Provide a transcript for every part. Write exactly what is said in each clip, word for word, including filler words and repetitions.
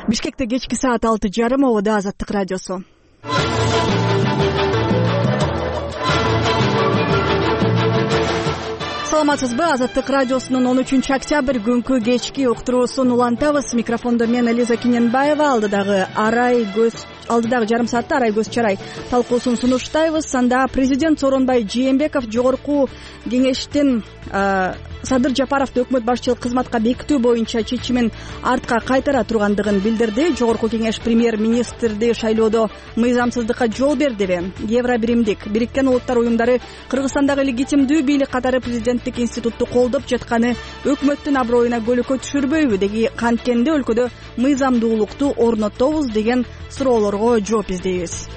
Бишкекте кечки саат алты жарым, обода Азаттык радиосу. Саламатсызбы? Азаттык радиосунун он үчүнчү октябрь күнкү кечки уктуруусун улантабыз. Микрофондо мен Элиза Киненбаева. Алдыдагы арай көз алдыдагы жарым саатта арай көз чарай талкуусун сунуштайбыз. Анда президент Сооронбай Жээнбеков жогорку кеңештин Садыр Жапаровду өкмөт башчылык кызматка бекитүү боюнча чечимин артка кайтара тургандыгын билдирди. Жогорку кеңеш премьер-министрди шайлоодо мыйзамсыздыкка жол бердиби? Евробиримдик Бириккен Улуттар уюмдары Кыргызстандагы легитимдүү бийлик катары президенттик институтту колдоп жатканы өкмөттүн аброюна көлөкө түшүрбөйбү? Деги канткенде өлкөдө мыйзамдуулукту орнотобуз деген суроолорго жооп издейбиз.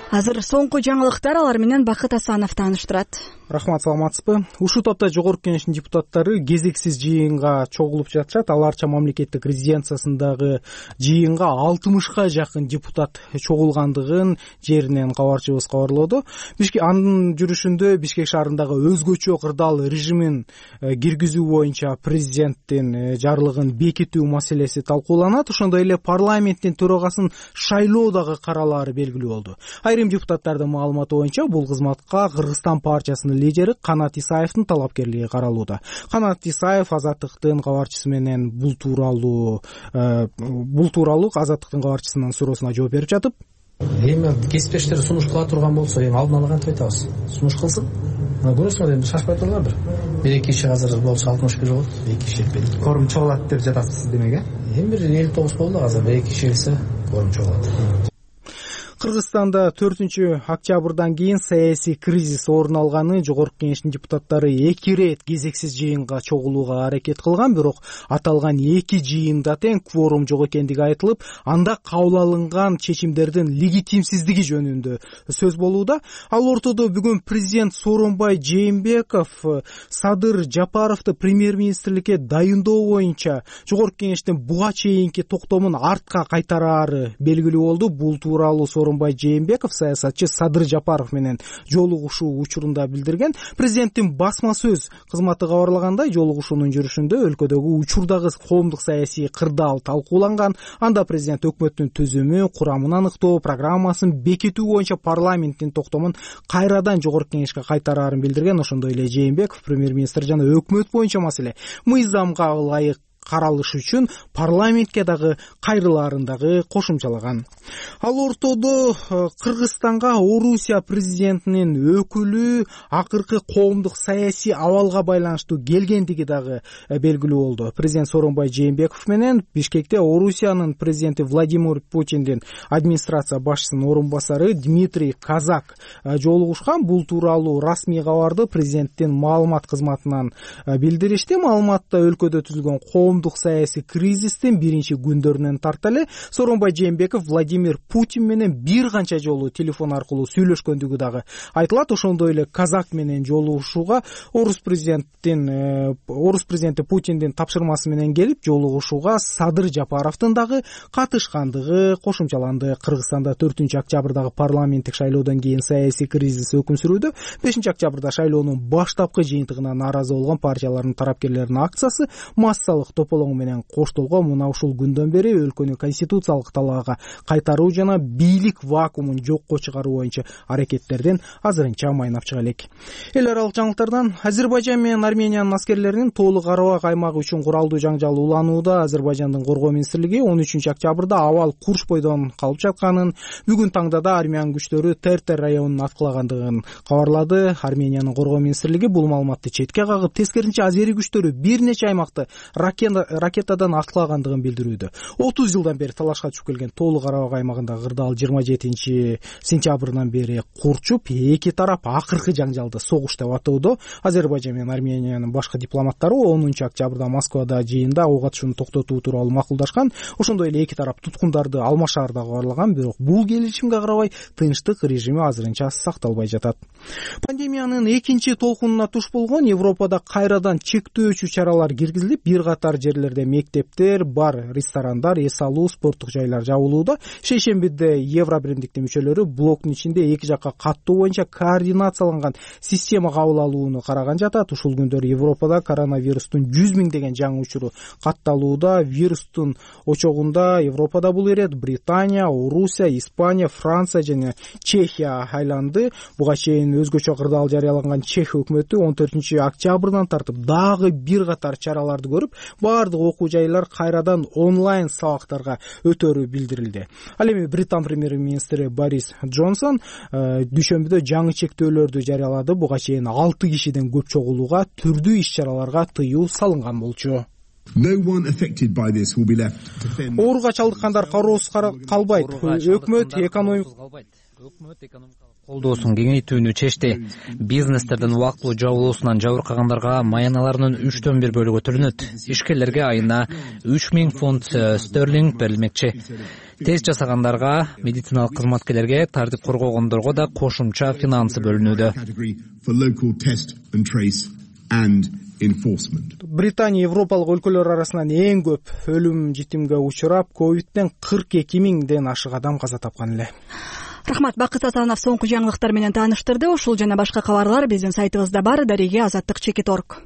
Азыр соңку жаңылыктар, алар менен Бакыт Асанов тааныштырат. Рахмат, саламатсызбы? Ушул топто жогорку кеңештин депутаттары кезексиз жыйынга чогулуп жатышат. Аларча мамлекеттик резиденциясындагы жыйынга алтымышка жакын депутат чогулгандыгын жеринен кабарчыбыз кабарлоодо. Бишкек анын жүрүшүндө Бишкек шаарындагы өзгөчө кырдаал режимин киргизүү боюнча президенттин жарлыгын бекитүү маселеси талкууланат. Ошондой эле парламенттин төрагасын шайлоо дагы каралаары белгилүү болду. Айрым депутаттардын маалыматы боюнча бул кызматка Кыргызстан партиясынын лидери Канат Исаевдин талапкерлиги каралууда. Канат Исаев Азаттыктын кабарчысы менен бул тууралуу бул тууралуу Азаттыктын кабарчысынын суроосуна жооп берип жатып, эми кесиптештер сунуш кыла турган болсо, эми алдын ала кантип айтабыз? Сунуш кылсын. Көрөсүңөр, эми шашпай туруңар бир. Бир эки киши азыр болсо алтымыш бир болот, эки киши жетпейт. Корум чогулат деп жатасыз демек, э? Эми бир элүү тогуз болду, азыр бир эки киши келсе корум чогулат. Кыргызстанда төртүнчү октябрдан кийин саясий кризис орун алганы жогорку кеңештин депутаттары эки ирет кезексиз жыйынга чогулууга аракет кылган, бирок аталган эки жыйында тең кворум жок экендиги айтылып, анда кабыл алынган чечимдердин легитимсиздиги жөнүндө сөз болууда. Ал ортодо бүгүн президент Сооронбай Жээнбеков Садыр Жапаровду премьер-министрликке дайындоо боюнча жогорку кеңештин буга чейинки токтомун артка кайтараары белгилүү болду. Бул тууралуу Сооронбай Жээнбеков саясатчы Садыр Жапаров менен жолугушуу учурунда билдирген. Президенттин басма сөз кызматы кабарлагандай, жолугушуунун жүрүшүндө өлкөдөгү учурдагы коомдук саясий кырдаал талкууланган. Анда президент өкмөттүн түзүмү, курамын аныктоо, программасын бекитүү боюнча парламенттин токтомун кайрадан жогорку кеңешке кайтараарын билдирген. Ошондой эле Жээнбеков премьер-министр жана өкмөт боюнча маселе мыйзамга ылайык каралыш үчүн парламентке дагы кайрылаарын дагы кошумчалаган. Ал ортодо Кыргызстанга Орусия президентинин өкүлү акыркы коомдук саясий абалга байланыштуу келгендиги дагы белгилүү болду. Президент Сооронбай Жээнбеков менен Бишкекте Орусиянын президенти Владимир Путиндин администрация башчысынын орун басары Дмитрий Казак жолугушкан. Бул тууралуу расмий кабарды президенттин маалымат кызматынан билдиришти. Маалыматта өлкөдө түзүлгөн коомдук саясий кризистин биринчи күндөрүнөн тарта эле Сооронбай Жээнбеков Владимир Путин менен бир канча жолу телефон аркылуу сүйлөшкөндүгү дагы айтылат. Ошондой эле Казак менен жолугушууга Орус президенттин Орус президенти Путиндин тапшырмасы менен келип жолугушууга Садыр Жапаровдун дагы катышкандыгы кошумчаланды. Кыргызстанда төртүнчү октябрдагы парламенттик шайлоодон кийин саясий кризис өкүм сүрүүдө. бешинчи октябрда шайлоонун баштапкы жыйынтыгына нааразы болгон партиялардын тарапкерлеринин акциясы массалык тополоң менен коштолгон. Мына ушул күндөн бери өлкөнү конституциялык талаага кайтаруу жана бийлик вакуумун жокко чыгаруу боюнча аракеттерден азырынча майнап чыга элек. Эл аралык жаңылыктардан Азербайжан менен Армениянын аскерлеринин Тоолу Карабак аймагы үчүн куралдуу жаңжал уланууда. Азербайжандын коргоо министрлиги он үчүнчү октябрда абал Курш бойдон калып жатканын, бүгүн таңда да армян күчтөрү Тертер районун аткылагандыгын кабарлады. Армениянын коргоо министрлиги бул маалыматты четке кагып, тескерисинче азери күчтөрү бир нече аймакты ракетадан аткылагандыгын билдирүүдө. отуз жылдан бери талашка түшүп келген Тоолу Карабак аймагындагы кырдаал жыйырма жетинчи сентябрынан бери курчуп, эки тарап акыркы жаңжалды согуш деп атоодо. Азербайжан менен Армениянын башкы дипломаттары онунчу октябрда Москвада жыйында ок атышууну токтотуу тууралуу макулдашкан. Ошондой эле эки тарап туткундарды алмашаарда кабарлаган, бирок бул келишимге карабай тынчтык режими азырынча сакталбай жатат. Пандемиянын экинчи толкунуна туш болгон Европада кайрадан чектөөчү чаралар киргизилип, бир катар жерлерде мектептер, бар, ресторандар, эс алуу, спорттук жайлар жабылууда. Шейшембиде Евро биримдиктин мүчөлөрү блоктун ичинде эки жакка каттоо боюнча координацияланган система кабыл алууну караган жатат. Ушул күндөр Европада коронавирустун жүз миңдеген жаңы учуру катталууда. Вирустун очогунда Европада бул ирет Британия, Орусия, Испания, Франция жана Чехия айланды. Буга чейин өзгөчө кырдаал жарыялаган Чех өкмөтү он төртүнчү октябрдан тартып дагы бир катар чараларды көрүп, баардык окуу жайлар кайрадан онлайн сабактарга өтөрү билдирилди. Ал эми Британ премьер-министри Борис Джонсон дүйшөмбүдө жаңы чектөөлөрдү жарыялады. Буга чейин алты кишиден көп чогулууга, түрдүү иш-чараларга тыюу салынган болчу. Ооруга чалдыккандар кароосуз калбайт. Өкмөт экономик колдоосун кеңейтүүнү чечти. Бизнестердин убактылуу жабылуусунан жабыркагандарга маяналарынын үчтөн бир бөлүгү төлөнөт. Ишкерлерге айына үч миң фунт стерлинг берилмекчи. Тест жасагандарга, медициналык кызматкерлерге, тартип коргогондорго да кошумча финансы бөлүнүүдө. Британия европалык өлкөлөр арасынан эң көп өлүм житимге учурап, ковидтен кырк эки миңден ашык адам каза тапкан эле. Рахмат, Бакыт Асанов соңку жаңылыктар менен тааныштырды. Ушул жана башка кабарлар биздин сайтыбызда бар. Дареге азаттык чекит точка орг.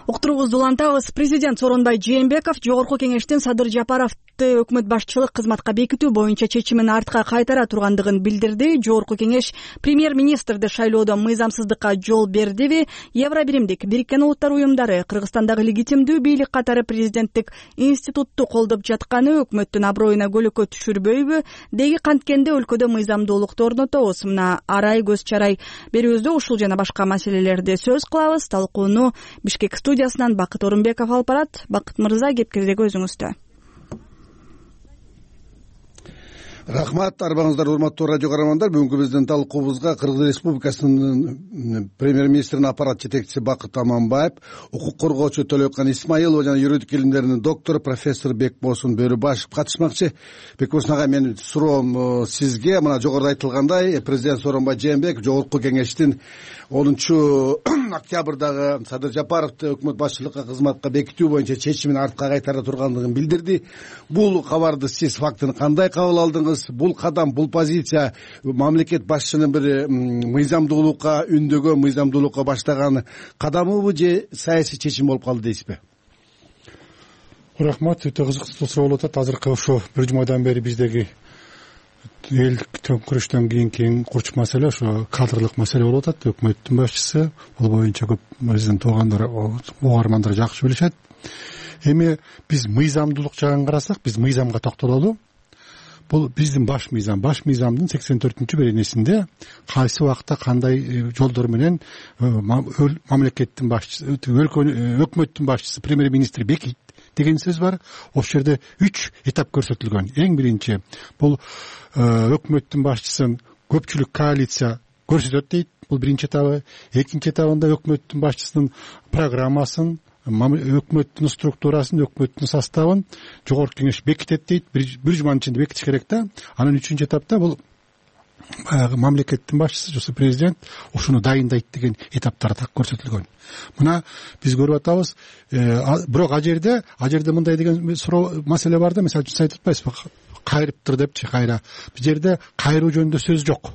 Уктуруубузду улантабыз. Президент Сооронбай Жээнбеков Жогорку кеңештин Садыр Жапаровду өкмөт башчылык кызматка бекитүү боюнча чечимин артка кайтара тургандыгын билдирди. Жогорку кеңеш премьер-министрди шайлоодо мыйзамсыздыкка жол бердиби? Евро биримдик Бириккен Улуттар уюмдары Кыргызстандагы легитимдүү бийлик катары президенттик институтту колдоп жатканы өкмөттүн аброюна көлөкө түшүрбөйбү? Деги канткенде өлкөдө мыйзамдуулукту орнотобуз. Мына арай көз чарай берүүбүздө ушул жана башка маселелерди сөз кылабыз. Талкууну Бишкек студиясынан Бакыт Орунбеков алып барат. Бакыт мырза, кепкирдеги өзүңүздө. Рахмат, арбаңыздар, урматтуу радио каармандар. Бүгүнкү биздин талкуубузга Кыргыз Республикасынын премьер-министринин аппарат жетекчиси Бакыт Аманбаев, укук коргоочу Төлөкан Исмаилова жана юридик илимдеринин доктору профессор Бекбосун Бөрүбашев катышмакчы. Бекбосун ага, менин суроом сизге. Мына жогоруда айтылгандай, президент Сооронбай Жээнбеков Жогорку кеңештин онунчу октябрдагы Садыр Жапаровду өкмөт башчылыкка кызматка бекитүү боюнча чечимин артка кайтара тургандыгын билдирди. Бул кабарды сиз фактын кандай кабыл алдыңыз? Бул кадам, бул позиция мамлекет башчынын бир мыйзамдуулукка үндөгөн, мыйзамдуулукка баштаган кадамыбы же саясий чечим болуп калды дейсизби? Рахмат, өтө кызыктуу суроо болуп атат. Азыркы ошо бир жумадан бери биздеги элдик төңкүрүштөн кийинки эң курч маселе ошо кадрлык маселе болуп атат. Өкмөттүн башчысы, бул боюнча көп биздин туугандар, угармандар жакшы билишет. Эми биз мыйзамдуулук жагын карасак, биз мыйзамга токтололу. Бул биздин баш мыйзам, баш мыйзамдын сексен төртүнчү беренесинде кайсы убакта кандай жолдор менен мамлекеттин башчысы, өкмөттүн башчысы, премьер-министр бекит деген сөз бар. Ошол жерде үч этап көрсөтүлгөн. Эң биринчи, бул өкмөттүн башчысын көпчүлүк коалиция көрсөтөт дейт. Бул биринчи этабы. Экинчи этабында өкмөттүн башчысынын программасын, өкмөттүн структурасын, өкмөттүн составын жогорку кеңеш бекитет дейт. Бир жуманын ичинде бекитиш керек да. Анан үчүнчү этапта бул баягы мамлекеттин башчысы, жосу президент ошону дайындайт деген этаптар так көрсөтүлгөн. Мына биз көрүп атабыз. Бирок а жерде, а жерде мындай деген суроо маселе бар да, мисалы үчүн сиз айтып атпайсызбы, кайрыптыр депчи, кайра. Бул жерде кайруу жөнүндө сөз жок.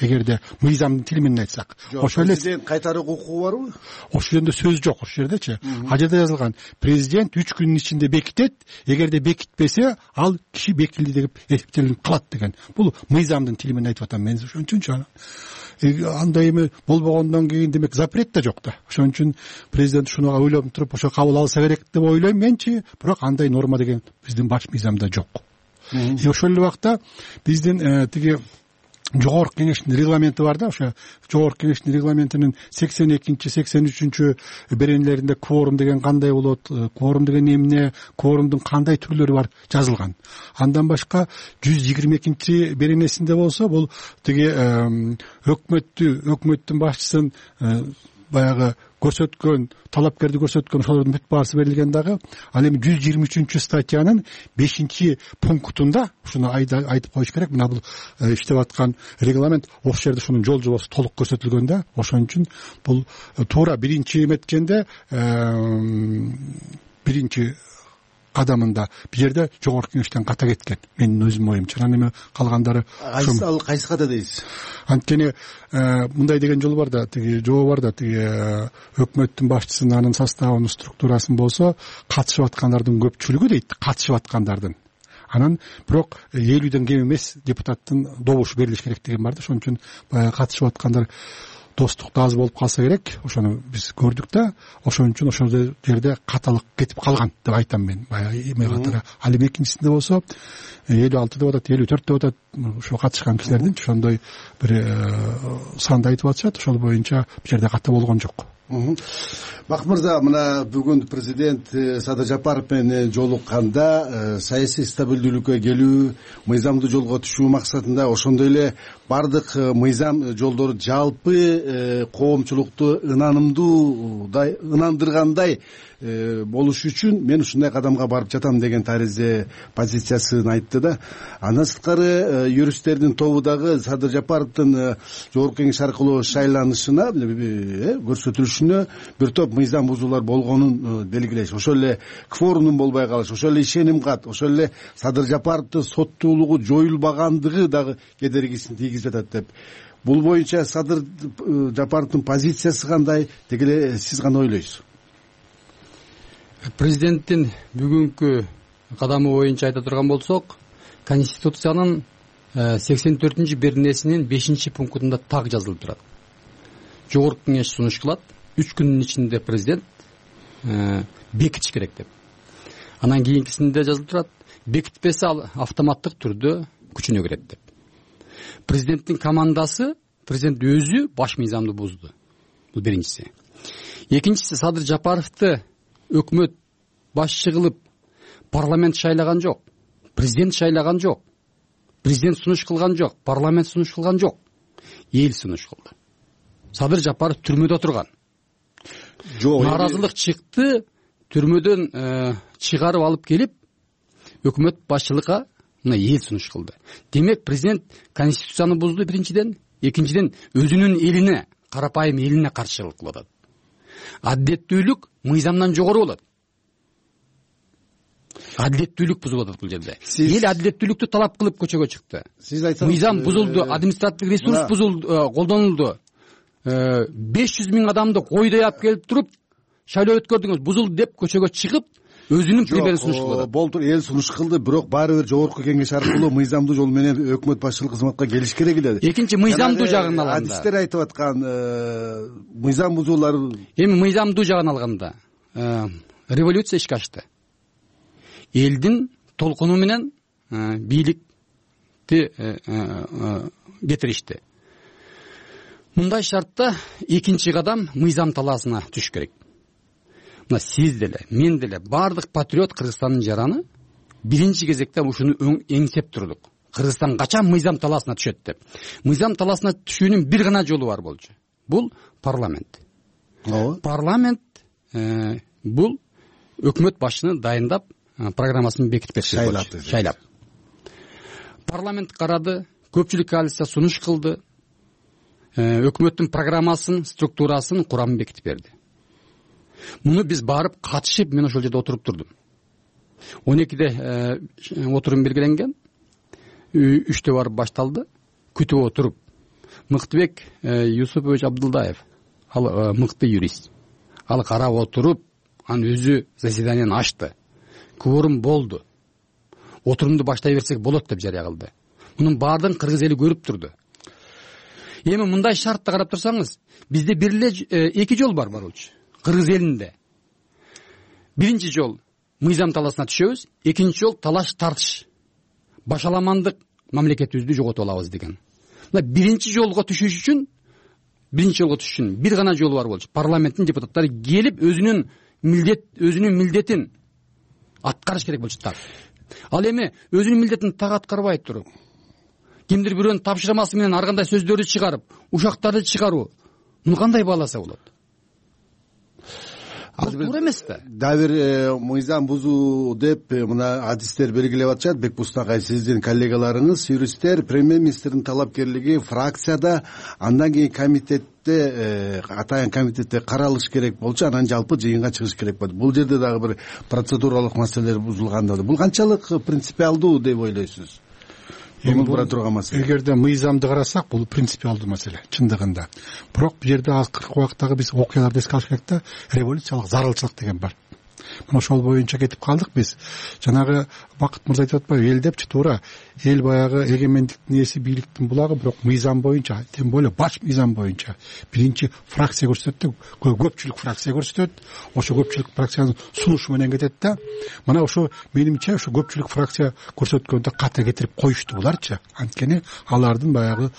Эгерде мыйзамдын тили менен айтсак, ошол эле президент кайтаруу укугу барбы? Ошол жерде сөз жок. Ошол жердечи а жерде жазылган: президент үч күнүн ичинде бекитет, эгерде бекитпесе ал киши бекилди деп эсептелип калат деген. Бул мыйзамдын тили менен айтып атам мен. Ошон үчүнчү андай эми болбогондон кийин демек запрет да жок да. Ошон үчүн президент ушуну ойлоп туруп ошо кабыл алса керек деп ойлойм менчи, бирок андай норма деген биздин баш мыйзамда жок. Ошол эле убакта биздин тиги жогорку кеңештин регламенти бар да. Ошо жогорку кеңештин регламентинин сексен экинчи, сексен үчүнчү беренелеринде кворум деген кандай болот, кворум деген эмне, кворумдун кандай түрлөрү бар жазылган. Андан башка жүз жыйырма экинчи беренесинде болсо, бул тиги өкмөттү, өкмөттүн башчысын баягы көрсөткөн талапкерди көрсөткөн ошолордун бүт баасы берилген дагы. Ал эми жүз жыйырма үчүнчү статьянын бешинчи пунктунда ушуну айтып коюш керек. Мына бул иштеп аткан регламент ошол жерде ушунун жол жобосу толук көрсөтүлгөн да. Ошон үчүн бул туура биринчи эметкенде биринчи кадамында бул жерде жогорку кеңештен ката кеткен, менин өзүмдүн оюмча. Анан эми калгандары ал кайсы ката дейсиз? Анткени мындай деген жол бар да, тиги жобо бар да, тиги өкмөттүн башчысын, анын составын, структурасын болсо катышып аткандардын көпчүлүгү дейт, катышып аткандардын. Анан бирок элүүдөн кем эмес депутаттын добушу берилиш керек деген бар да. Ошон үчүн баягы катышып аткандар достук да аз болуп калса керек. Ошону биз көрдүк да. Ошон үчүн ошол жерде каталык кетип калган деп айтам мен. Баягы эме катары. Ал эми экинчисинде болсо элүү алты деп атат, элүү төрт деп атат. Ошо катышкан кишилердин ошондой бир санды айтып атышат. Ошол боюнча бул жерде ката болгон жок. Бакыт мырза, мына бүгүн президент Садыр Жапаров менен жолукканда саясий стабилдүүлүккө келүү, мыйзамдуу жолго түшүү максатында, ошондой эле бардык мыйзам жолдору жалпы коомчулукту ынанымдуудай ынандыргандай болуш үчүн мен ушундай кадамга барып жатам деген таризе позициясын айтты да. Андан сырткары юристтердин тобу дагы Садыр Жапаровдун жогорку кеңеш аркылуу шайланышына көрсөтүлүшүнө бир топ мыйзам бузуулар болгонун белгилеш. Ошол эле кворумдун болбой калыш, ошол эле ишеним кат, ошол эле Садыр Жапаровдун соттуулугу жоюлбагандыгы дагы кедергисин тийгизип атат деп. Бул боюнча Садыр Жапаровдун позициясы кандай? Деги эле сиз кандай ойлойсуз? Президенттин бүгүнкү кадамы боюнча айта турган болсок, Конституциянын сексен төртүнчү беренесинин бешинчи пунктунда так жазылып турат. Жогорку кеңеш сунуш кылат, үч күндүн ичинде президент бекитиш керек деп. Анан кийинкисинде жазылып турат, бекитпесе ал автоматтык түрдө күчүнө кирет деп. Президенттин командасы, президент өзү баш мыйзамды бузду. Бул биринчиси. Экинчиси, Садыр Жапаровду өкмөт башчы кылып парламент шайлаган жок, президент шайлаган жок, президент сунуш кылган жок, парламент сунуш кылган жок, эл сунуш кылды. Садыр Жапаров түрмөдө турган. Нааразылык чыкты, түрмөдөн чыгарып алып келип өкмөт башчылыкка мына эл сунуш кылды. Демек президент Конституцияны бузду биринчиден, экинчиден өзүнүн элине, карапайым элине каршылык кылып атат. Адилеттүүлүк мыйзамдан жогору болот. Адилеттүүлүк бузулуп атат бул жерде. Эл адилеттүүлүктү талап кылып көчөгө чыкты. Сиз айтсаңыз, мыйзам бузулду, административдик ресурс бузулду, колдонулду. беш жүз миң адамды койдой алып келип туруп шайлоо өткөрдүңүз, бузулду деп көчөгө чыгып өзүнүн примерин сунуш кылды. Болду, эл сунуш кылды, бирок баары бир жогорку кеңеш аркылуу мыйзамдуу жол менен өкмөт башчылык кызматка келиш керек эле. Экинчи мыйзамдуу жагын алганда, адистер айтып аткан мыйзам бузуулар, эми мыйзамдуу жагын алганда революция ишке ашты. Элдин толкуну менен бийликти кетиришти. Мындай шартта экинчи кадам мыйзам талаасына түш керек. Мына сиз деле, мен деле, бардык патриот Кыргызстандын жараны биринчи кезекте ушуну эңсеп турдук. Кыргызстан качан мыйзам талаасына түшөт деп. Мыйзам талаасына түшүүнүн бир гана жолу бар болчу. Бул парламент. Парламент бул өкмөт башчыны дайындап, программасын бекитип берсе болчу. Шайлап. Парламент карады, көпчүлүк коалиция сунуш кылды. Өкмөттүн программасын, структурасын, курамын бекитип берди. Муну биз барып катышып, мен ошол жерде отуруп турдум. он экиде отурум белгиленген, үчтө барып башталды. Күтүп отуруп, Мыктыбек Юсупович Абдылдаев, ал мыкты юрист. Ал карап отуруп, анын өзү заседанияны ачты. Кворум болду. Отурумду баштай берсек болот деп жарыя кылды. Мунун баардыгын кыргыз эли көрүп турду. Эми мындай шартты карап турсаңыз, бизде бир эле эки жол бар баруучу. Кыргыз элинде. Биринчи жол мыйзам талаасына түшөбүз, экинчи жол талаш тартыш. Башаламандык мамлекетибизди жоготуп алабыз деген. Мына биринчи жолго түшүш үчүн, биринчи жолго түшүш үчүн бир гана жол бар болчу. Парламенттин депутаттары келип өзүнүн милдет, өзүнүн милдетин аткарыш керек болчу так. Ал эми өзүнүн милдетин так аткарбай туруп, кимдир бирөөнүн тапшырмасы менен ар кандай сөздөрдү чыгарып, ушактарды чыгаруу, муну кандай бааласа болот? ал туура эмес да. Дагы бир мыйзам бузуу деп мына адистер белгилеп атышат. Бекбуст агай, сиздин коллегаларыңыз юристтер премьер-министрдин талапкерлиги фракцияда, андан кийин комитетте, атайын комитетте каралыш керек болчу, анан жалпы жыйынга чыгыш керек болду. Бул жерде дагы бир процедуралык маселелер бузулганда бул канчалык принципиалдуу деп ойлойсуз? Эми бура турган маселе. Эгерде мыйзамды карасак, бул принципиалдуу маселе чындыгында. Бирок бул жерде акыркы убактагы биз окуяларды эске алыш керек да, революциялык зарылчылык деген бар. Мына ошол боюнча кетип калдык биз. Жанагы Бакыт мырза айтып атпайбы, эл депчи, туура. Эл баягы эгемендиктин ээси, бийликтин булагы, бирок мыйзам боюнча, тем более баш мыйзам боюнча биринчи фракция көрсөтөт да, көпчүлүк фракция көрсөтөт. Ошо көпчүлүк фракциянын сунушу менен кетет да. Мына ошо менимче ошо көпчүлүк фракция көрсөткөндө ката кетирип коюшту буларчы. Анткени алардын баягы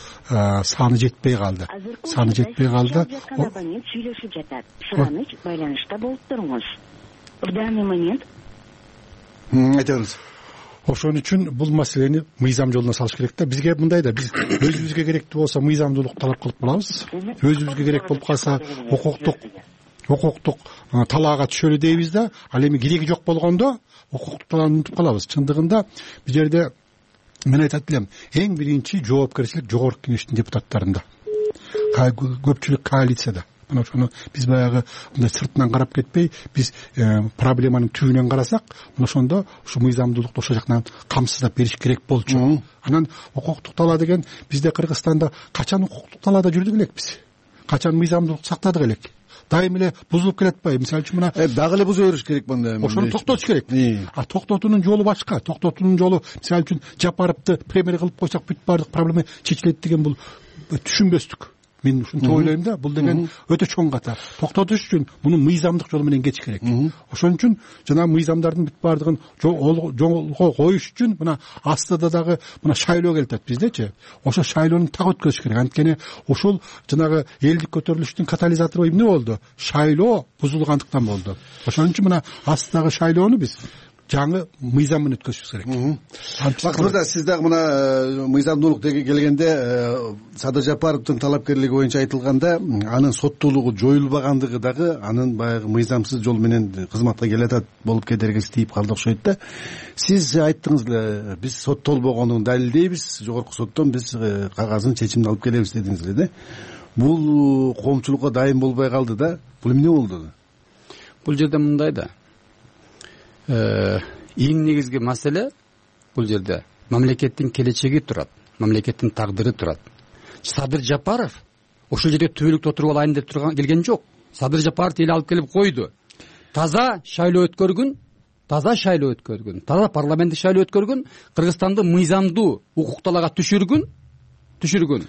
саны жетпей калды. Саны жетпей калды. Абонент сүйлөшүп жатат. Сыраныч байланышта болуп туруңуз. В данный момент айтыңыз. Ошон үчүн бул маселени мыйзам жолуна салыш керек да. Бизге мындай да, биз өзүбүзгө керектүү болсо мыйзамдуулук талап кылып калабыз. Өзүбүзгө керек болуп калса укуктук укуктук талаага түшөлү дейбиз да. Ал эми кереги жок болгондо укуктук талааны унутуп калабыз. Чындыгында бул жерде мен айтат элем, эң биринчи жоопкерчилик жогорку кеңештин депутаттарында, көпчүлүк коалицияда. Мына ошону биз баягы мындай сыртынан карап кетпей, биз проблеманын түбүнөн карасак, мына ошондо ушу мыйзамдуулукту ошол жактан камсыздап бериш керек болчу. Анан укуктук талаа деген бизде Кыргызстанда качан укуктук талаада жүрдүк элекпиз? Качан мыйзамдуулукту сактадык элек? Дайым эле бузулуп келатпайбы? Мисалы үчүн мына дагы эле буза бериш керек мында. Ошону токтотуш керек. А токтотуунун жолу башка. Токтотуунун жолу, мисалы үчүн Жапаровду премьер кылып койсок бүт баардык проблема чечилет деген бул түшүнбөстүк. Мен ушинтип ойлойм да, бул деген өтө чоң ката. Токтотуш үчүн муну мыйзамдык жол менен кетиш керек. Ошон үчүн жана мыйзамдардын бүт баардыгын жолго коюш үчүн мына астыда дагы мына шайлоо келип атат биздечи. Ошо шайлоону так өткөзүш керек. Анткени ушул жанагы элдик көтөрүлүштүн катализатору эмне болду? Шайлоо бузулгандыктан болду. Ошон үчүн мына астыдагы шайлоону биз жаңы мыйзам менен өткөзүш керек. Бакыт мырза, сиз дагы мына мыйзамдуулук келгенде Садыр Жапаровдун талапкерлиги боюнча айтылганда, анын соттуулугу жоюлбагандыгы дагы анын баягы мыйзамсыз жол менен кызматка келатат болуп кетергеси тийип калды окшойт да. Сиз айттыңыз эле, биз соттолбогонун далилдейбиз, жогорку соттон биз кагазын чечимди алып келебиз дедиңиз эле да. Бул коомчулукка дайым болбой калды да. Бул эмне болду? Бул жерде мындай да. Эң негизги маселе бул жерде мамлекеттин келечеги турат, мамлекеттин тагдыры турат. Садыр Жапаров ошол жерде түбөлүктө отуруп алайын деп турган келген жок. Садыр Жапаров эл алып келип койду. Таза шайлоо өткөргүн, таза шайлоо өткөргүн, таза парламенттик шайлоо өткөргүн, Кыргызстанды мыйзамдуу укук талаага түшүргүн, түшүргүн.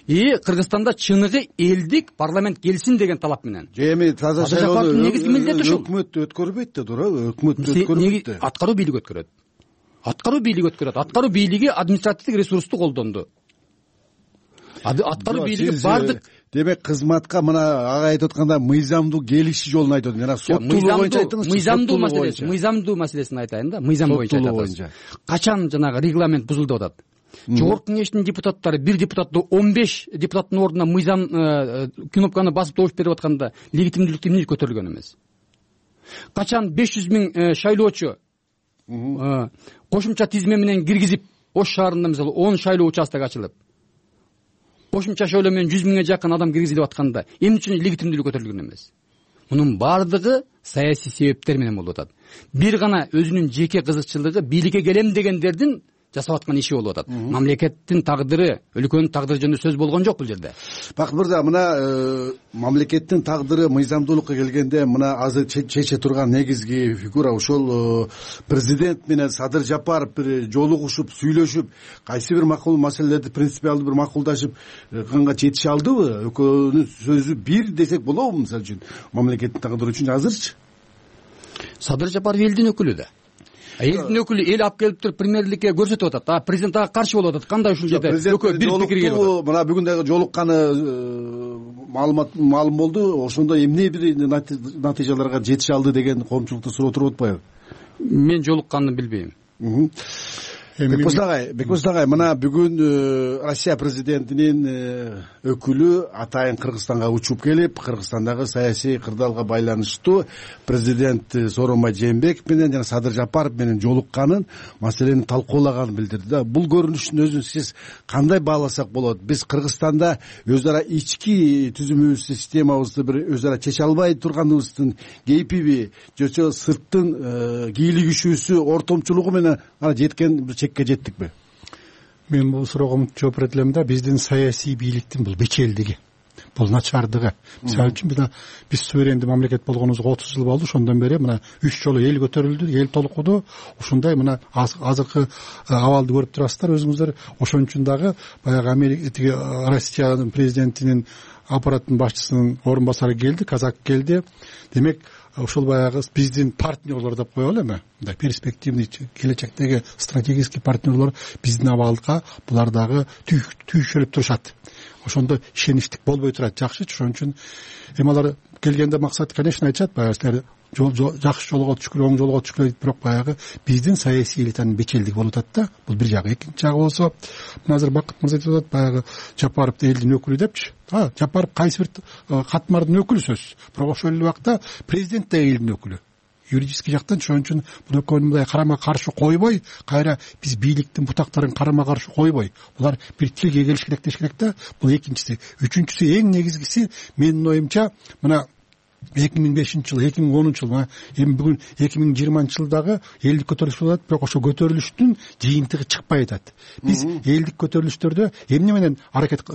И Кыргызстанда чыныгы элдик парламент келсин деген талап менен. Эми таза шайлоону негизги милдети ушул. Өкмөт өткөрбөйт да, туура? Өкмөт өткөрбөйт. Аткаруу бийлиги өткөрөт. Аткаруу бийлиги өткөрөт. Аткаруу бийлиги административдик ресурсту колдонду. Аткаруу бийлиги бардык. Демек кызматка мына ага айтып атканда мыйзамдуу келиши жолун айтып атат. Жана соттуулук боюнча айтыңыз. Мыйзамдуу маселеси, мыйзамдуу маселесин айтайын да, мыйзам боюнча айтат. Качан жанагы регламент бузулду атат? Жогорку кеңештин депутаттары бир депутатты он беш депутаттын ордуна мыйзам кнопканы басып добуш берип атканда легитимдүүлүктү эмне көтөрүлгөн эмес? Качан беш жүз миң шайлоочу кошумча тизме менен киргизип, Ош шаарында мисалы он шайлоо участок ачылып, кошумча шайлоо менен жүз миңге жакын адам киргизилип атканда эмне үчүн легитимдүүлүк көтөрүлгөн эмес? Мунун бардыгы саясий себептер менен болуп атат. Бир гана өзүнүн жеке кызыкчылыгы бийликке келем дегендердин жасап аткан иши болуп атат. Мамлекеттин тагдыры, өлкөнүн тагдыры жөнүндө сөз болгон жок бул жерде. Бакыт мырза, мына мамлекеттин тагдыры мыйзамдуулукка келгенде мына азыр чече турган негизги фигура ошол президент менен Садыр Жапаров бир жолугушуп, сүйлөшүп, кайсы бир макул маселелерди принципиалдуу бир макулдашып канга жетише алдыбы? Экөөнүн сөзү бир десек болобу, мисалы үчүн мамлекеттин тагдыры үчүн азырчы? Садыр Жапаров элдин өкүлү да. Элдин өкүлү эл алып келип туруп премьерликке көрсөтүп атат. А президент ага каршы болуп атат. Кандай ушул жерде экөө бир пикирге келип атат. Мына бүгүн дагы жолукканы маалымат маалым болду. Ошондо эмне бир натыйжаларга жетише алды деген коомчулукта суроо туруп атпайбы? Мен жолукканын билбейм. бекболсун агай бекболсун агай мына бүгүн Россия президентинин өкүлү атайын Кыргызстанга учуп келип, Кыргызстандагы саясий кырдаалга байланыштуу президент Сооронбай Жээнбеков менен жана Садыр Жапаров менен жолукканын, маселени талкуулаганын билдирди да. Бул көрүнүштүн өзүн сиз кандай бааласак болот? Биз Кыргызстанда өз ара ички түзүмүбүздү, системабызды бир өз ара чече албай турганыбыздын кейпиби, жочо сырттын кийлигишүүсү, ортомчулугу менен ана жеткен бир чекке жеттикпи? Мен бул суроого мынтип жооп берет элем да, биздин саясий бийликтин бул бечелдиги, бул начардыгы. Мисалы үчүн мына биз суверендүү мамлекет болгонубузга отуз жыл болду, ошондон бери мына үч жолу эл көтөрүлдү, эл толкуду. Ушундай мына азыркы абалды көрүп турасыздар өзүңүздөр. Ошон үчүн дагы баягы Америка тиги Россиянын президентинин аппараттын башчысынын орун басары келди, казак келди. Демек ушул баягы биздин партнерлор деп коелу эми, мындай перспективный келечектеги стратегический партнерлор биздин абалга булар дагы түйшөлүп турушат. Ошондо ишеничтик болбой турат, жакшычы. Ошон үчүн эми алар келгенде максат, конечно, айтышат, баягы силер жакшы жолго түшкүлө, оң жолго түшкүлө дейт, бирок баягы биздин саясий элитанын бечелдиги болуп атат да. Бул бир жагы. Экинчи жагы болсо, мына азыр Бакыт мырза айтып атат, баягы Жапаров элдин өкүлү депчи. А, Жапаров кайсы бир катмардын өкүлү сөзсүз. Бирок ошол эле убакта президент да элдин өкүлү. Юридический жактан. Ошон үчүн бул экөөнү мындай карама каршы койбой, кайра биз бийликтин бутактарын карама каршы койбой, булар бир тилге келиш керек деш керек да. Бул экинчиси. Үчүнчүсү, эң негизгиси менин оюмча, мына эки миң бешинчи жыл, эки миң онунчу жыл, мына эми бүгүн эки миң жыйырманчы жылдагы элдик көтөрүлүш болуп атат, бирок ошо көтөрүлүштүн жыйынтыгы чыкпай атат. Биз элдик көтөрүлүштөрдө эмне менен аракет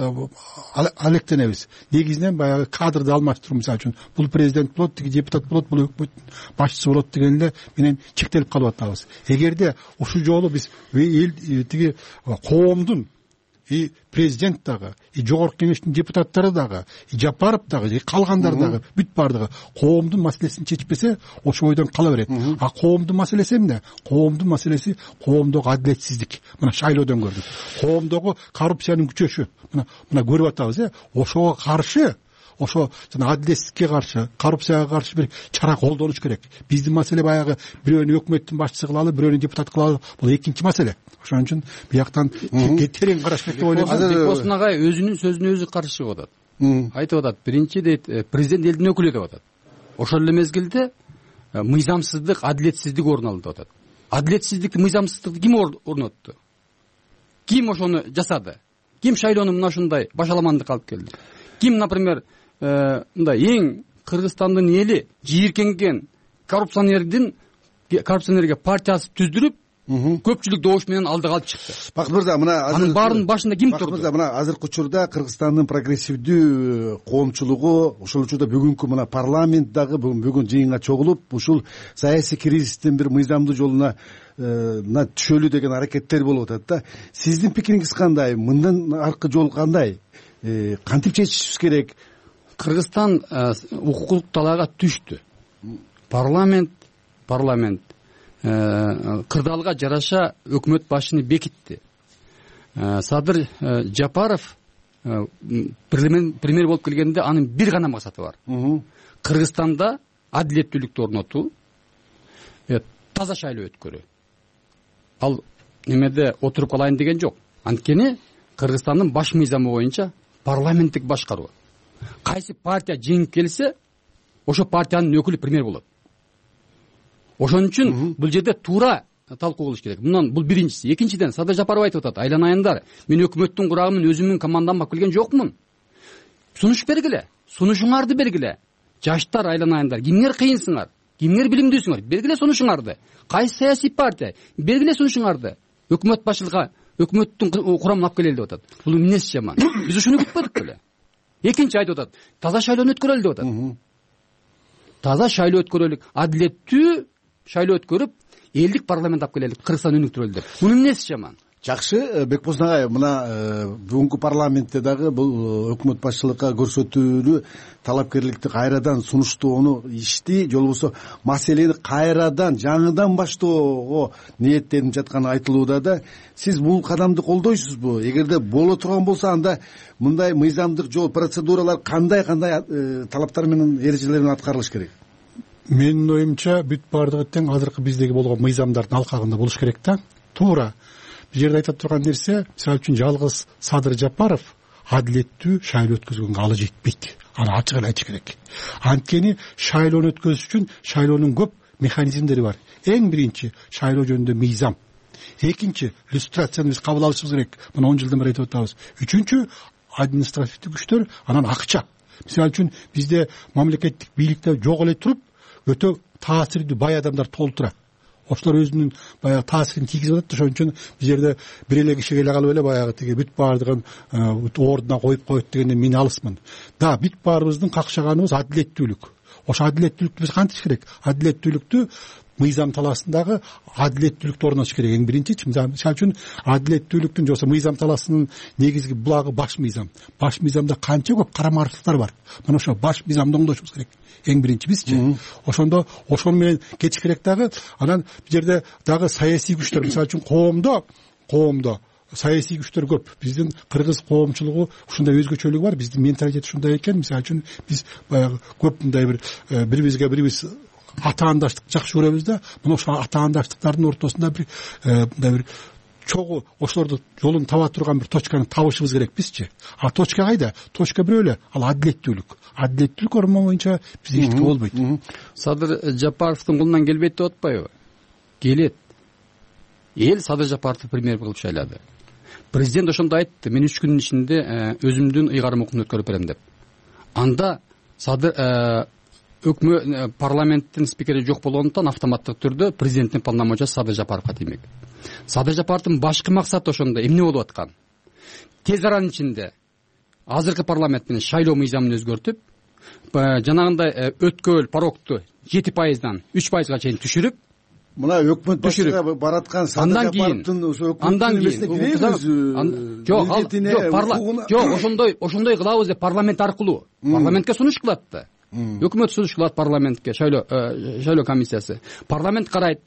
алектенебиз? Негизинен баягы кадрды алмаштыруу. Мисалы үчүн бул президент болот, тиги депутат болот, бул өкмөттүн башчысы болот деген эле менен чектелип калып атабыз. Эгерде ушул жолу биз эл тиги коомдун и президент дагы, и жогорку кеңештин депутаттары дагы, и Жапаров дагы, и калгандар дагы бүт бардыгы коомдун маселесин чечпесе, ошо ойдон кала берет. А коомдун маселеси эмне? Коомдун маселеси коомдогу адилетсиздик. Мына шайлоодон көрдүк. Коомдогу коррупциянын күчөшү. Мына мына көрүп атабыз, э? Ошого каршы, ошо жана адилетсиздикке каршы, коррупцияга каршы бир чара колдонуш керек. Биздин маселе баягы бирөөнү өкмөттүн башчысы кылалы, бирөөнү депутат кылалы. Бул экинчи маселе. Ошон үчүн бияктан терең караш керек деп ойлойм. Бекболсун агай өзүнүн сөзүнө өзү каршы чыгып атат. Айтып атат, биринчи дейт, президент элдин өкүлү деп атат. Ошол эле мезгилде мыйзамсыздык, адилетсиздик орун алды деп атат. Адилетсиздикти, мыйзамсыздыкты ким орнотту? Ким ошону жасады? Ким шайлоону мына ушундай башаламандыкка алып келди? Ким, например, мындай эң Кыргызстандын эли жийиркенген коррупционердин коррупционерге партиясы түздүрүп, көпчүлүк добуш менен алдыга алып чыкты. Бакыт мырза, мына анын баарынын башында ким турду? Бакыт мырза, мына азыркы учурда Кыргызстандын прогрессивдүү коомчулугу, ошол учурда бүгүнкү мына парламент дагы бүгүн жыйынга чогулуп, ушул саясий кризистин бир мыйзамдуу жолуна мына түшөлү деген аракеттер болуп атат да. Сиздин пикириңиз кандай? Мындан аркы жол кандай? Кантип чечишибиз керек? Кыргызстан укуктук талаага түштү. Парламент парламент кырдаалга жараша өкмөт башчыны бекитти. Садыр Жапаров премьер болуп келгенде анын бир гана максаты бар. Кыргызстанда адилеттүүлүктү орнотуу, таза шайлоо өткөрүү. Ал немеде отуруп калайын деген жок. Анткени Кыргызстандын баш мыйзамы боюнча парламенттик башкаруу. Кайсы партия жеңип келсе, ошо партиянын өкүлү премьер болот. Ошон үчүн бул жерде туура талкуу кылыш керек. Мындан бул биринчиси. Экинчиден, Садыр Жапаров айтып атат, айланайындар, мен өкмөттүн курагымын, өзүмдүн командамды алып келген жокмун. Сунуш бергиле, сунушуңарды бергиле. Жаштар, айланайындар, кимдер кыйынсыңар, кимдер билимдүүсүңөр, бергиле сунушуңарды. Кайсы саясий партия, бергиле сунушуңарды. Өкмөт башчылыгы, өкмөттүн курамын алып келели деп атат. Бул эмнеси жаман? Биз ушуну күтпөдүк беле. Экинчи айтып атат, таза шайлоону өткөрөлү деп атат. Таза шайлоо өткөрөлүк, адилеттүү шайлоо өткөрүп, элдик парламент алып келели, Кыргызстан өнүктүрөлү деп. Мунун эмнеси жаман? Жакшы, Бекболсун агай, мына бүгүнкү парламентте дагы бул өкмөт башчылыкка көрсөтүүлүү талапкерликти кайрадан сунуштоону ишти, же болбосо маселени кайрадан жаңыдан баштоого ниеттенип жатканы айтылууда да. Сиз бул кадамды колдойсузбу? Эгерде боло турган болсо, анда мындай мыйзамдык жол, процедуралар кандай кандай талаптар менен, эрежелер менен аткарылыш керек? Менин оюмча бүт баардыгы тең азыркы биздеги болгон мыйзамдардын алкагында болуш керек да. Туура бул жерде айта турган нерсе, мисалы үчүн жалгыз Садыр Жапаров адилеттүү шайлоо өткөзгөнгө алы жетпейт. Аны ачык эле айтыш керек. Анткени шайлоону өткөзүш үчүн шайлоонун көп механизмдери бар. Эң биринчи шайлоо жөнүндө мыйзам. Экинчи иллюстрацияны биз кабыл алышыбыз керек. Мына он жылдан бери айтып атабыз. Үчүнчү административдик күчтөр, анан акча. Мисалы үчүн бизде мамлекеттик бийликте жок эле туруп өтө таасирдүү бай адамдар толтура. Ошолор өзүнүн баягы таасирин тийгизип атат. Ошон үчүн бул жерде бир эле киши келе калып эле баягы тиги бүт баардыгын ордуна коюп коет дегенден мен алысмын. Да, бүт баарыбыздын какшаганыбыз адилеттүүлүк. Ошо адилеттүүлүктү биз кантиш керек? Адилеттүүлүктү мыйзам талаасындагы адилеттүүлүктү орнотуш керек. Эң биринчи, мисалы үчүн адилеттүүлүктүн жоксо мыйзам талаасынын негизги булагы баш мыйзам. Баш мыйзамда канча көп карамарчылыктар бар. Мына ошо баш мыйзамды оңдошубуз керек. Эң биринчи бизчи. Ошондо ошону менен кетиш керек дагы. Анан бул жерде дагы саясий күчтөр, мисалы үчүн коомдо, коомдо саясий күчтөр көп. Биздин кыргыз коомчулугу ушундай өзгөчөлүгү бар. Биздин менталитет ушундай экен. Мисалы үчүн биз баягы көп мындай бир бири-бирибизге бирибиз атаандаштык жакшы көрөбүз да. Мына ошо атаандаштыктардын ортосунда бир мындай бир чогуу ошолорду жолун таба турган бир точканы табышыбыз керек бизчи. А точка кайда? Точка бирөө эле, ал адилеттүүлүк. Адилеттүүлүк орномоюнча бизде эчтеке болбойт. Садыр Жапаровдун колунан келбейт деп атпайбы? Келет. Эл Садыр Жапаровду премьер кылып шайлады. Президент ошондо айтты, мен үч күнүн ичинде өзүмдүн ыйгарым укумун өткөрүп берем деп. Анда Садыр өкмөт парламенттин спикери жок болгондуктан автоматтык түрдө президенттин полномочиясы Садыр Жапаровго тиймек. Садыр Жапаровдун башкы максаты ошондо эмне болуп аткан? Тез аранын ичинде азыркы парламент менен шайлоо мыйзамын өзгөртүп, жанагындай өткөл порогту жети пайыздан үч пайызга чейин түшүрүп, мына өкмөт башчыга бараткан Садыр Жапаровдун ошо өкмөттүн жок, жок, ошондой ошондой кылабыз деп парламент аркылуу парламентке сунуш кылат да. Өкмөт сунуш кылат парламентке, шайлоо шайлоо комиссиясы. Парламент карайт.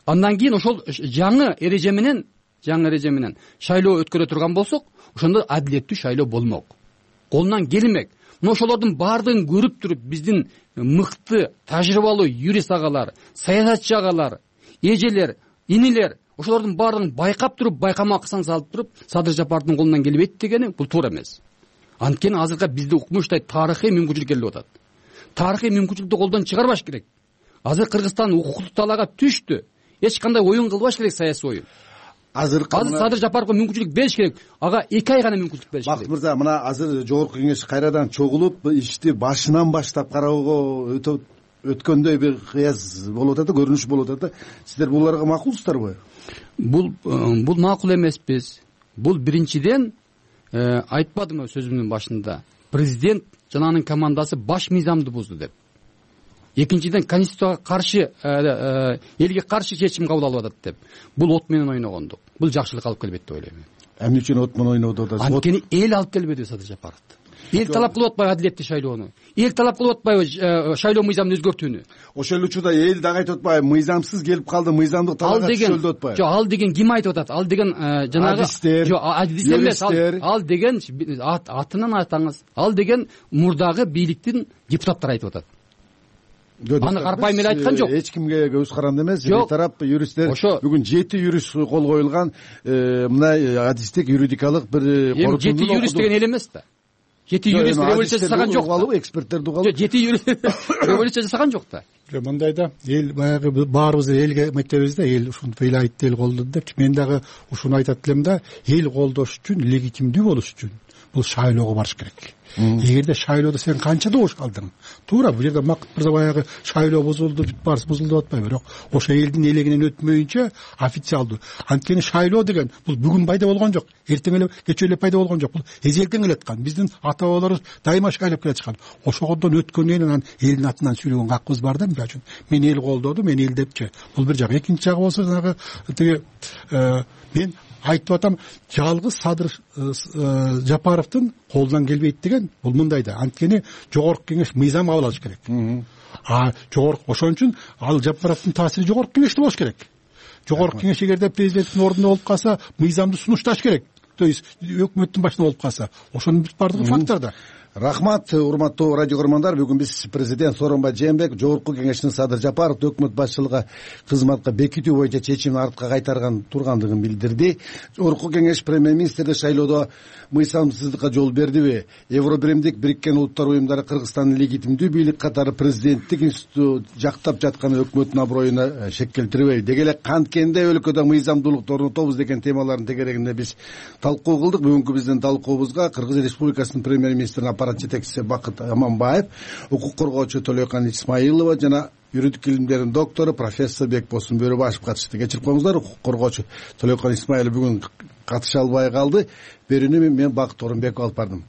Андан кийин ошол жаңы эреже менен, жаңы эреже менен шайлоо өткөрө турган болсок, ошондо адилеттүү шайлоо болмок. Колунан келмек. Мына ошолордун баардыгын көрүп туруп, биздин мыкты, тажрыйбалуу юрист агалар, саясатчы агалар, эжелер, инилер, ошолордун баардыгын байкап туруп, байкамакчысын салып туруп, Садыр Жапаровдун колунан келбейт дегени бул туура эмес. Анткени азыркы бизде укмуштай тарыхый мүмкүнчүлүк келип атат. Тарыхый мүмкүнчүлүктү колдон чыгарбаш керек. Азыр Кыргызстан укуктук талаага түштү. Эч кандай оюн кылбаш керек, саясий оюн. Азыр азыр Садыр Жапаровго мүмкүнчүлүк бериш керек. Ага эки ай гана мүмкүнчүлүк бериш керек. Бакыт мырза, мына азыр жогорку кеңеш кайрадан чогулуп, ишти башынан баштап кароого өтө өткөндөй бир кыяз болуп атат, көрүнүш болуп атат. Сиздер буларга макулсуздарбы? Бул бул макул эмеспиз. Бул биринчиден айтпадымбы сөзүмдүн башында. Президент жананын командасы баш мыйзамды бузду деп. Экинчиден конституцияга каршы, элге каршы чечим кабыл алып атат деп. Бул от менен ойногондук. Бул жакшылык алып келбейт деп ойлойм. Эмне үчүн от менен ойноду да? Анткени эл алып келбеди Садыр Жапаровду. Эл талап кылып атпайбы адилеттүү шайлоону? Эл талап кылып атпайбы шайлоо мыйзамын өзгөртүүнү? Ошол учурда эл дагы айтып атпайбы, мыйзамсыз келип калды, мыйзамдык талапка түшөлдү деп атпайбы? Жок, ал деген ким айтып атат? Ал деген жанагы жок, адистер эмес, ал деген атынан айтаңыз. Ал деген мурдагы бийликтин депутаттары айтып атат. Аны карпайым эле айткан жок. Эч кимге көз каранды эмес. Бир тарап юристтер бүгүн жети юрист кол коюлган мына адистик юридикалык бир корутундун. Жети юрист деген эл эмес да. Жети юрист революция жасаган жок. Эксперттерди угалып. Жети юрист революция жасаган жок да. Мындай да, эл баягы баарыбыз элге мектебиз да, эл ушинтип эл айтты, эл колдоду деп. Мен дагы ушуну айтат элем да, эл колдош үчүн, легитимдүү болуш үчүн бул шайлоого барыш керек. Эгерде шайлоодо сен канча добуш калдың, туура бул жерде Макыт мырза баягы шайлоо бузулду, бүт баарысы бузулду деп атпайбы, бирок ошо элдин элегинен өтмөйүнчө официалдуу. Анткени шайлоо деген бул бүгүн пайда болгон жок, эртең эле кечээ эле пайда болгон жок. Бул эзелден келаткан, биздин ата бабаларыбыз дайыма шайлап келаткан. Ошогодон өткөндөн кийин анан элдин атынан сүйлөгөн гакыбыз бар да, мисалы үчүн мен эл колдоду, мен эл депчи. Бул бир жак. Экинчи жагы болсо жанагы тиги мен айтып атам, жалгыз Садыр Жапаровдун колунан келбейт деген бул мындай да. Анткени жогорку кеңеш мыйзам кабыл алыш керек. А жогорку ошон үчүн ал Жапаровдун таасири жогорку кеңеште болуш керек. Жогорку кеңеш эгерде президенттин ордунда болуп калса, мыйзамды сунушташ керек. То есть өкмөттүн башында болуп калса, ошонун бүт бардыгы факторда. Рахмат, урматтуу радио көрөрмандар. Бүгүн биз президент Сооронбай Жээнбеков Жогорку Кеңештин Садыр Жапаровду өкмөт башчылыгы кызматка бекитүү боюнча чечимин артка кайтарган тургандыгын билдирди. Жогорку Кеңеш премьер-министрди шайлоодо мыйзамсыздыкка жол бердиби? Евробиримдик Бириккен Улуттар уюмдары Кыргызстандын легитимдүү бийлик катары президенттик институту жактап жатканы өкмөттүн аброюна шек келтирбейби? Деги эле канткенде өлкөдө мыйзамдуулукту орнотобуз деген темалардын тегерегинде биз талкуу кылдык. Бүгүнкү биздин талкуубузга Кыргыз Республикасынын премьер-министринин аппарат жетекчиси Бакыт Аманбаев, укук коргоочу Төлөкан Исмаилова жана юридик илимдердин доктору профессор Бекбосун Бөрөбашев катышты. Кечирип коюңуздар, укук коргоочу Төлөкан Исмаилов бүгүн катыша албай калды. Берүүнү мен Бакыт Орунбеков алып бардым.